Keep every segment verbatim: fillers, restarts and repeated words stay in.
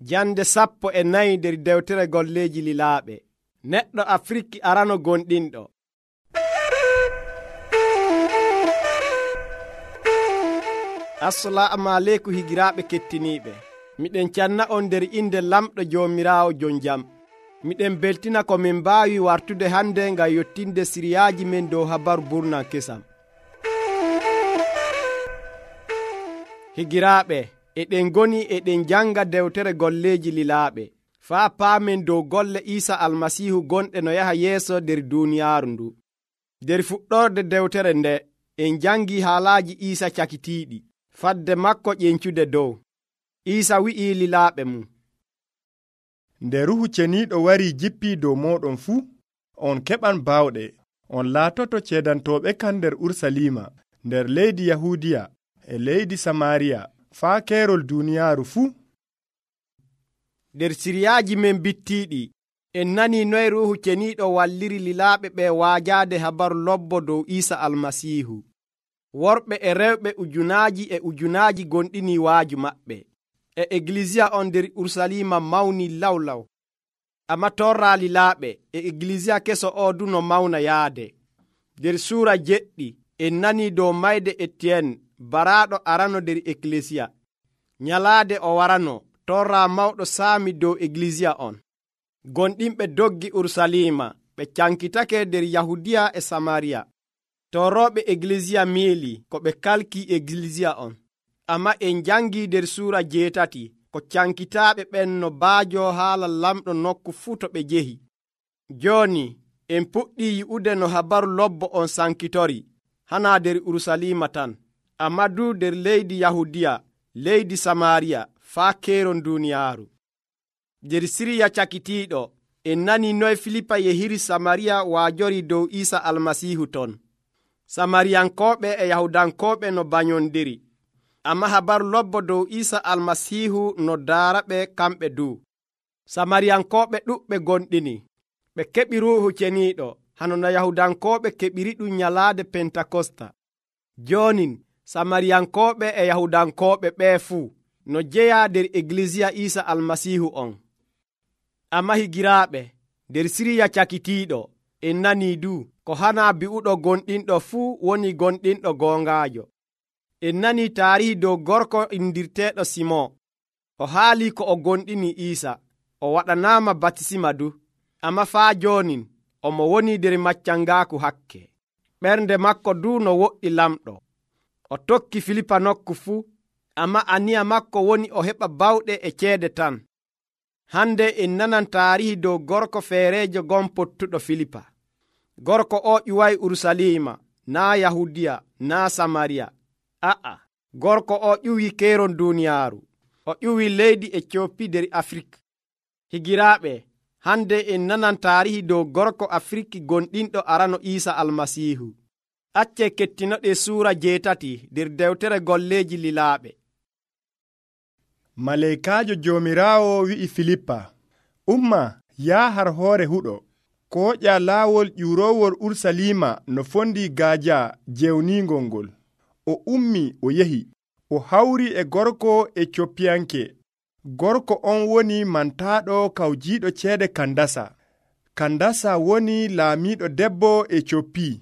Jande sappo e nayi nder dewtere golleeji lilaaɓe. Neɗɗo Afriki arano gonɗinɗo. Assalamu aleykum higiraaɓe kettiniiɓe. Miɗen canna on nder inde lamɗo Joomiraawo jon jam. Miɗen beltina ko min mbaawi wartude hande ngam yottinde siriyaaji men dow habaru burnan kesam. Higiraaɓe, eɗen goni eɗen janga dewtere golleeji lilaaɓe faa paamen dow golle Iisa almasiihu gonɗe no yaha yeeso nder duuniyaaru ndu. Nder fuɗɗorde dewtere nde en jangi haalaaji Iisa cakitiiɗi fadde makko ƴencude dow. Iisa wi'ii lilaaɓe mum, nde Ruhu Ceniiɗo warii jippii dow mooɗon fuu, on keɓan baawɗe, on laatoto ceedantooɓe kan nder Ursaliima, nder leydi Yahuudiya e leydi Samaariya, faa keerol duuniyaaru fuu. Nder siriyaaji men bittiiɗi, en nanii noye Ruuhu Ceniiɗo walliri lilaaɓe ɓe waajaade habaru lobbo dow Iisa almasiihu. Worɓe e rewɓe ujunaaji e ujunaaji gonɗinii waaju maɓɓe. E Egilisiya on nder Ursaliima mawni lawlaw. Amma torraa lilaaɓe e Egilisiya keso o du no mawna yaade. Nder suura jeɗɗi en nanii dow mayde Etiyeen baraaɗo arano nder Egilisiya. Nyalaade o warano, torraa mawɗo saami dow Egilisiya on. Gonɗinɓe doggi Ursaliima, ɓe cankitake nder Yahudiya e Samariya. Torooɓe Egilisiya miili ko ɓe kalkii Egilisiya on. Amma en jangii nder suura jeetati ko cankitaaɓe ɓen no baajo haala lamɗo nokku fuu to ɓe njehi. Jooni en puɗɗii yi'ude no habaru lobbo on sankitori, hanaa nder Ursaliima tan, amma du nder leydi Yahudiya, leydi Samaariya, faa keeron duuniyaaru. Nder siriya cakitiiɗo, en nanii noye Filipa yehiri Samariya waajori dow Iisa almasiihu ton. Samariyankooɓe e Yahudankooɓe no banyondiri. Amma habaru lobbo dow Iisa almasiihu no daara ɓe kamɓe du. Samariyankooɓe ɗuɓɓe gonɗini. Ɓe keɓi Ruuhu Ceniiɗo, hano no Yahudankooɓe keɓiri ɗum nyalaade Pentakosta. Joonin Samariyankooɓe e Yahudankooɓe ɓee fuu no jeyaa nder Egilisiya Iisa almasiihu on. Amma higiraaɓe, nder siriya cakitiiɗo, en nanii du ko hanaa bi'uɗo gonɗinɗo fuu woni gonɗinɗo goongaajo. En nanii taarihi dow gorko indirteeɗo Simon. O haalii ko o gonɗini Iisa. O waɗanaama batisima du, amma faa joonin omo woni nder maccangaaku hakke. Ɓernde makko du no woɗɗi lamɗo. O tokki Filipa nokku fuu, amma aniya makko woni o heɓa bawɗe e ceede tan. Hande en nanan taarihi dow gorko feereejo gon pottuɗo Filipa. Gorko o ƴuway Ursaliima, naa Yahudiya, naa Samariya. A'a, gorko o ƴuwi keeron duuniyaaru. O ƴuwi leydi Ecoopi nder Afrik. Higiraaɓe, hande en nanan taarihi dow gorko Afriki gonɗinɗo arano Iisa almasiihu. Acce kettinoɗe suura jeetati nder dewtere golleeji lilaaɓe. Maleykaajo Joomiraawo wi'i Filippa, umma yaa har hoore huɗo, kooƴa laawol ƴuurowol Ursaliima no fondi gaaja jewniingol ngol. O ummi o yehi, o hawri e gorko Ecoopiyanke. Gorko on woni mantaaɗo kawjiiɗo ceede Kandasa. Kandasa woni laamiiɗo debbo Ecoopi.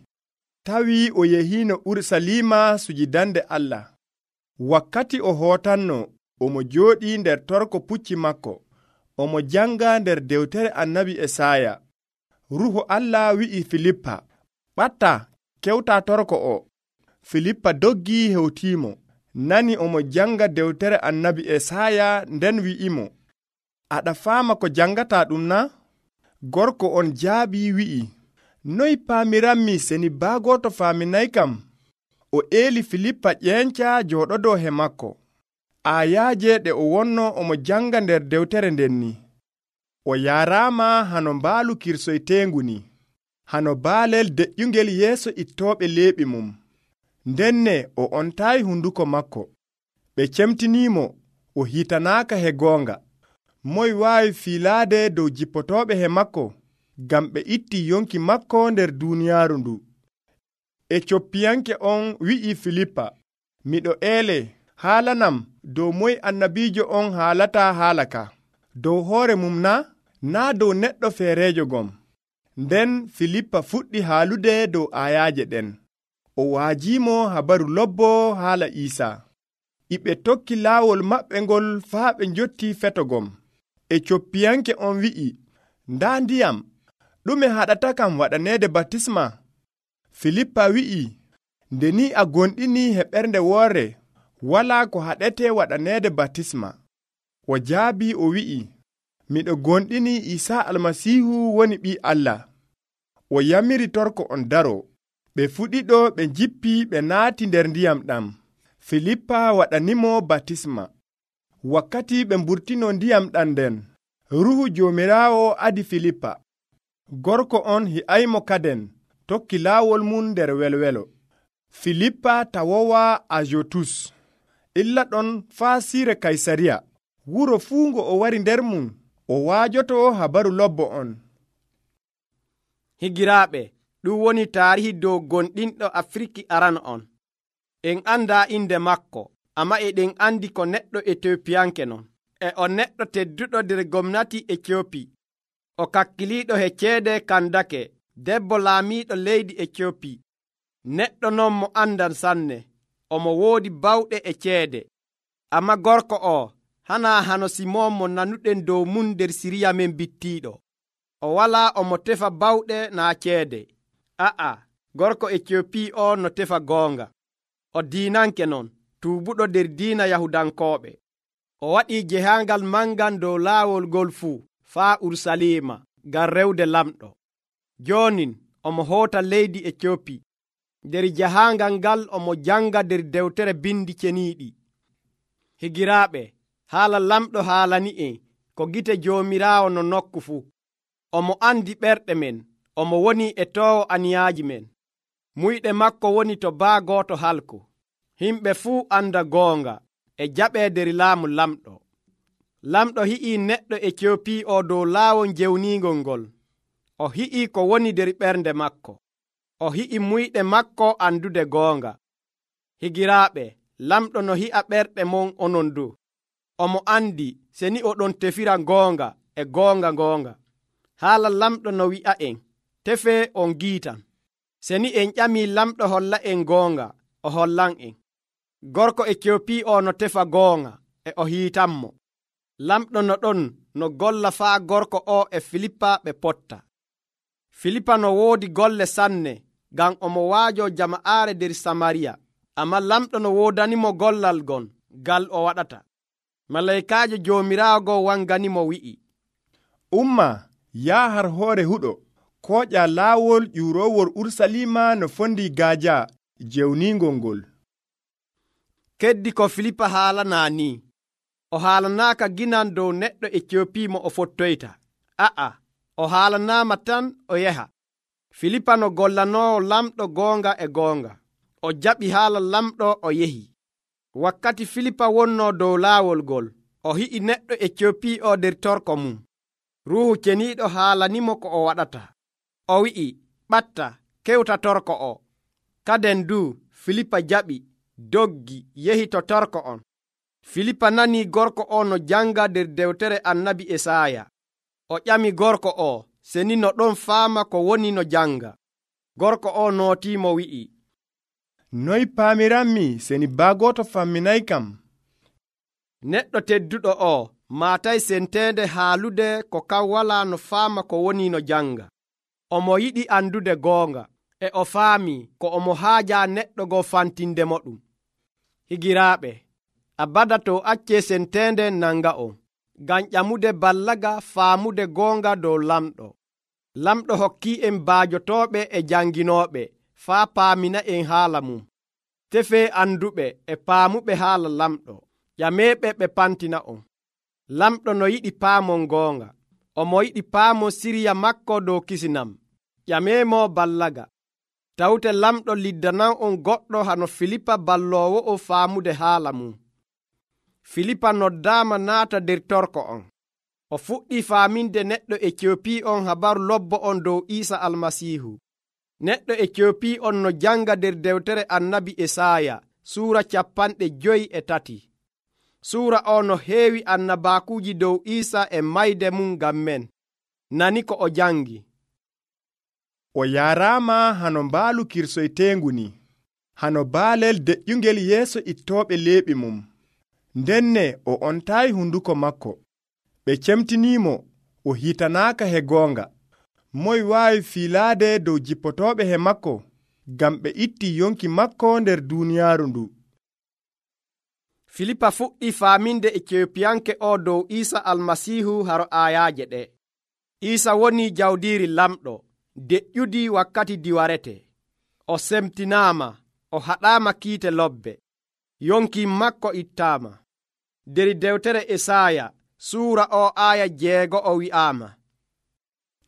Tawi o yehiino Ursaliima sujidande Allah. Wakkati o hootanno, omo jooɗii nder torko pucci makko. Omo janga nder dewtere annabi Esaya. Ruhu Allah wi'i Filippa, ɓatta kewta torko o. Filippa doggi hewtiimo, nani omo janga dewtere annabi Esaya nden wi'imo, aɗa faama ko jangata ɗum na? Gorko on jaabi wi'i, noy paamiranmi seni baagoto faaminay kam? O eeli Filippa ƴeenca jooɗodo he makko. Ayaaje ɗe o wonno omo janga nder dewtere nden ni. O yaaraama hano mbaalu kirsoyteengu ni, hano baalel deƴƴungel yeeso ittooɓe leeɓi mum. Ndenne o ontaayi hunduko makko. Ɓe cemtiniimo, o hitanaaka he goonga. Moy waawi fiilaade dow jippotooɓe he makko, ngam ɓe itti yonki makko nder duuniyaaru ndu. Ecoopiyanke on wi'i Filippa, miɗo eele haalanam dow moy annabiijo on haalata haala ka. dow hoore mum na naa dow neɗɗo feereejo gom. Nden Filippa fuɗɗi haalude dow ayaaje ɗen. O waajiimo habaru lobbo haala Iisaa. Iɓe tokki laawol maɓɓe ngol faa ɓe njotti fetogom. E coppiyanke on wi'i, ndaa ndiyam, ɗume haɗata kam waɗaneede batisma? Filippa wi'i, nde ni a gonɗini he ɓernde woore, walaa ko haɗete waɗaneede batisma. O jaabi o wi'i, miɗo gonɗini Iisaa Almasiihu woni ɓii Allah. O yamiri torko on daro. Ɓe fuɗiɗo ɓe njippi ɓe naati nder ndiyam ɗam. Filippa waɗanimo batisma. Wakkati ɓe mburtino ndiyam ɗam nden, Ruuhu Joomiraawo adi Filippa. Gorko on hi'aymo kaden, tokki laawol mum nder welwelo. Filippa tawowa Azotus. Illa ɗon faa siire Kaysariya. Wuro fuu ngo o wari nder mum, o waajoto habaru lobbo on. Higiraaɓe, ɗum woni taarihi dow gonɗinɗo Afriki aran on. En anda inde makko, amma eɗen andi ko neɗɗo Etiopiyanke non. E o neɗɗo tedduɗo nder gomnati Etiopi. O kakkiliiɗo he ceede Kandake, debbo laamiiɗo leydi Etiopi. Neɗɗo non mo andan sanne, omo woodi bawɗe e ceede. Amma gorko o hana hano Simon mo nanuɗen dow mum nder Siriya men bittiiɗo. O walaa omo tefa bawɗe naa ceede. A'a, gorko Etiopi o no tefa goonga. O diinanke non, tuubuɗo nder diina Yahudankooɓe. O waɗii jehaangal mangal dow laawol ngol fuu faa Urusalima ngam rewde lamɗo. Joonin omo hoota leydi Etiopi. Nder jahaangal ngal omo janga nder dewtere bindi ceniiɗi. Higiraaɓe, haala lamɗo haalani'en ko gite Joomiraawo no nokku fuu. Omo andi ɓerɗe men, omo woni e toowo aniyaaji men. Muyɗe makko woni to baa gooto halku. Himɓe fuu anda goonga e jaɓee nder laamu lamɗo. Lamɗo hi'ii neɗɗo Etiopi o dow laawol jewniingol ngol. O hi'ii ko woni nder ɓernde makko. O hi'i muyɗe makko andude goonga. Higiraaɓe, lamɗo no hi'a ɓerɗe mon onon du. Omo andi seni oɗon tefira goonga e goonga goonga. Haala lamɗo no wi'a en, tefee on giitan. Seni en ƴamii lamɗo holla en goonga, o hollan en. Gorko Etiopi o no tefa goonga e o hiitanmo. Lamɗo no ɗon no golla faa gorko o e Filippa ɓe potta. Filippa no woodi golle sanne ngam omo waajo jama'aare nder Samariya. Amma lamɗo no woodanimo gollal gon gal o waɗata. Malaykaajo Joomiraawo wanganimo wi'i, umma yaa har hoore huɗo, kooƴa laawol ƴuurowol Urusalima no fondi gaaja jewningol ngol. Keddi ko Filippa haalanaa ni. O haalanaaka ginan dow neɗɗo Etiopi mo o fottoyta. A'a, o haalanaama tan o yaha. Filippa no gollanoowo lamɗo goonga e goonga. O jaɓi haala lamɗo o yehi. Wakkati Filippa wonnoo dow laawol ngol, o hi'i neɗɗo Etiopi o nder torko mum. Ruuhu ceniiɗo haalanimo ko o waɗata. O wi'i, ɓatta, kewta torko o. Kaden du, Filippa jaɓi, doggi, yehi to torko on. Filippa nanii gorko o no janga nder dewtere annabi Esaaya. O ƴami gorko o, seni no ɗon faama ko woni no janga. Gorko o nootiimo wi'i, noy paamiranmi seni baagoto famminay kam? Neɗɗo tedduɗo o maatay senteende haalude ko kan walaa no faama ko woni no janga. Omo yiɗi andude goonga, e o faami ko omo haaja neɗɗo go fantindemo ɗum. Higiraaɓe, abada to accee senteende nanga on, ngam ƴamude ballaga faamude goonga dow lamɗo. Lamɗo hokkii en baajotooɓe e janginooɓe faa paamina en haala mum. Tefee anduɓe e paamuɓe haala lamɗo. Ƴameeɓe ɓe pantina on. Lamɗo no yiɗi paamon goonga. Omo yiɗi paamon siriya makko dow kisinam. Ƴameemo ballaga. Tawte lamɗo liddanan on goɗɗo hano Filippa balloowo o faamude haala mum. Filippa noddaama naata nder torko on. O fuɗɗii faaminde neɗɗo Etiopi on habaru lobbo on dow Iisa Almasiihu. Neɗɗo Etiopi on no janga nder dewtere annabi Esaaya suura capanɗe joyi e tati. suura o no heewi annabaakuuji dow Iisa e mayde mum ngam men. Nani ko o jangi. O yaaraama hano mbaalu kirsoyteengu ni, hano baalel deƴƴungel yeeso ittooɓe leeɓi mum. Ndenne o ontaayi hunduko makko. Ɓe cemtiniimo o hitanaaka he goonga. Moy waawi fiilaade dow jippotooɓe he makko, ngam ɓe itti yonki makko nder duuniyaaru ndu. Filipa fuɗɗi faaminde Etiopiyanke o dow Iisa almasiihu haro aayaaje ɗe. Iisa woni jawdiiri lamɗo, deƴƴudi wakkati diwarete. O semtinaama, o haɗaama kiite lobbe. Yonki makko ittaama. Der dewtere Esaaya suura o aaya jeego o wi'aama: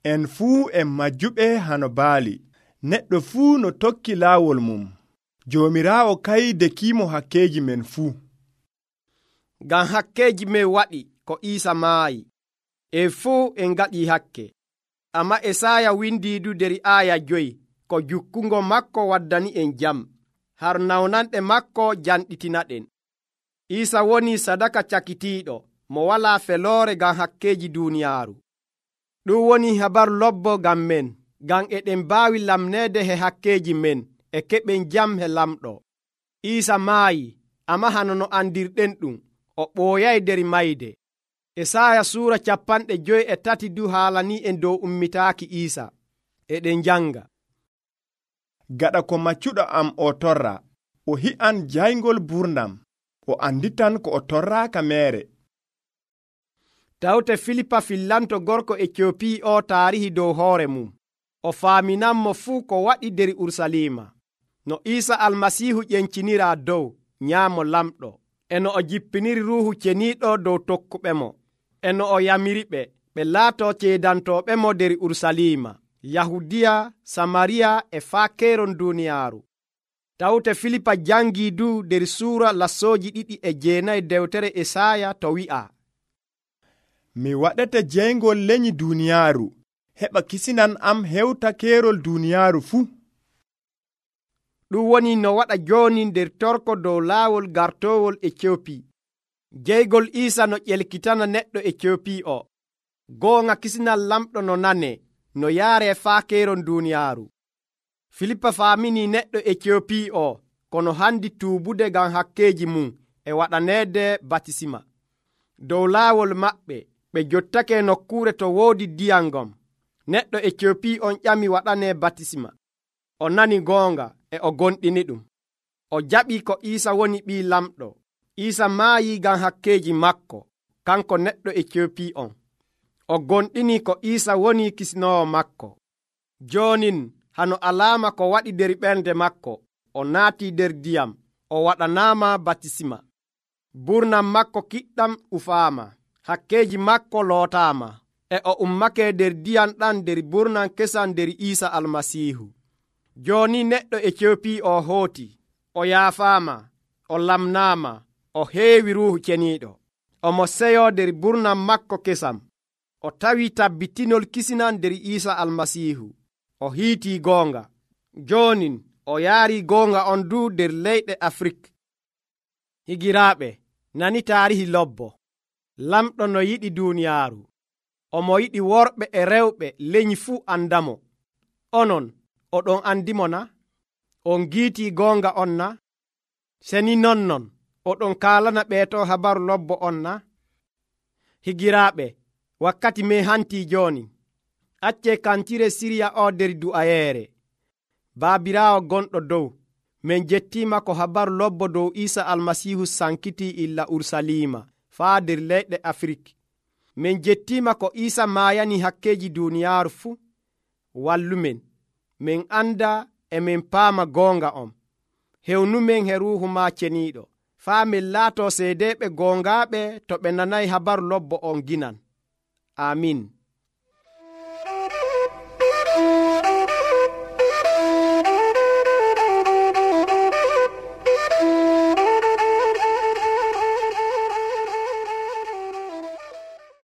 En fuu en majjuɓe hano baali, neɗɗo fuu no tokki laawol mum. Joomiraawo kay dekiimo hakkeeji men fuu. Ngam hakkeeji men waɗi ko Iisa maayi, e fuu en ngaɗii hakke. Amma Esaaya windiidu der aaya joyi ko jukkungo makko waddani en jam, har nawnanɗe makko janɗitinaɗen. Iisa woni sadaka cakitiiɗo mo walaa feloore ngam hakkeeji duuniyaaru. Ɗum woni habaru lobbo ngam men, ngam eɗen mbaawi lamneede he hakkeeji men e keɓen jam he lamɗo. Iisa maayi, amma hano no andirɗen ɗum, o ɓooyay der mayde. Esaaya suura capanɗe joyi e tati du haalani en dow ummitaaki Iisa. Eɗen janga: Gaɗa ko maccuɗo am o torra, o hi'an jayngol burdam, o anditan ko o torraaka meere. Tawte Filipa fillanto gorko Etiopi o taarihi dow hoore mum. O faaminanmo fuu ko waɗi der Urusalima. No Iisa almasiihu ƴenciniraa dow nyaamo lamɗo, e no o jippiniri Ruuhu Ceniiɗo dow tokkuɓe mo, e no o yamiriɓe ɓe laato ceedantooɓemo der Urusalima, Yahudiya, Samariya e faa keeron duuniyaaru. Tawte Filipa jangii du der suura lassooji ɗiɗi e jeenayi dewtere Esaaya to wi'aa: Mi waɗete jeyngol leñi duuniyaaru, heɓa kisinan am hewta keerol duuniyaaru fuu. Ɗum woni no waɗa jooni nder torko dow laawol gartoowol Etiopi. Jeygol Iisa no ƴelkitana neɗɗo Etiopi o. Goonga kisinal lamɗo no nanee, no yaaree faa keeron duuniyaaru. Filipa faamini neɗɗo Etiopi o kono handi tuubude ngam hakkeeji mum e waɗaneede batisima. Dow laawol maɓɓe ɓe jottake nokkuure to woodi diyam ngam. Neɗɗo Etiopi on ƴami waɗanee batisima. O nani goonga e o gonɗini ɗum. O jaɓi ko Iisa woni ɓii lamɗo. Iisa maayi ngam hakkeeji makko, kanko neɗɗo Etiopi on. O gonɗini ko Iisa woni kisinoowo makko. Joonin hano alaama ko waɗi der ɓernde makko, o naatii der diyam, o waɗanaama batisima. Burnam makko kiɗɗam ufaama, hakkeeji makko lootaama, e o ummake der diyam ɗan der burnam kesam der Iisa almasiihu. Jooni neɗɗo Etiopi o hooti, o yaafaama, o lamnaama, o heewi Ruuhu Ceniiɗo. Omo seyo der burnam makko kesam. O tawi tabbitinol kisinan der Iisa almasiihu. O hiitii goonga. Joonin o yaari goonga on du der leyɗe Afrik. Higiraaɓe, nani taarihi lobbo. Lamɗo no yiɗi duuniyaaru. Omo yiɗi worɓe e rewɓe leñi fuu andamo. Onon, oɗon andimo na? On giitii goonga on na? Seni nonnon, oɗon kaalana ɓeeto habaru lobbo on na? Higiraaɓe, wakkati men hantii jooni. Accee kantire Siriya o der du'ayeere. Baabiraawo gonɗo dow, min jettiima ko habaru lobbo dow Iisa almasiihu sankitii illa Urusalima faa der leyɗe Afrik. Min jettiima ko Iisa maayani hakkeeji duuniyaaru fuu. Wallumen, min anda e min paama goonga on. Hewnumen he Ruuhu ma Ceniiɗo, faa min laatoo seedeeɓe goongaaɓe to ɓe nanayi habaru lobbo on ginan. Amin.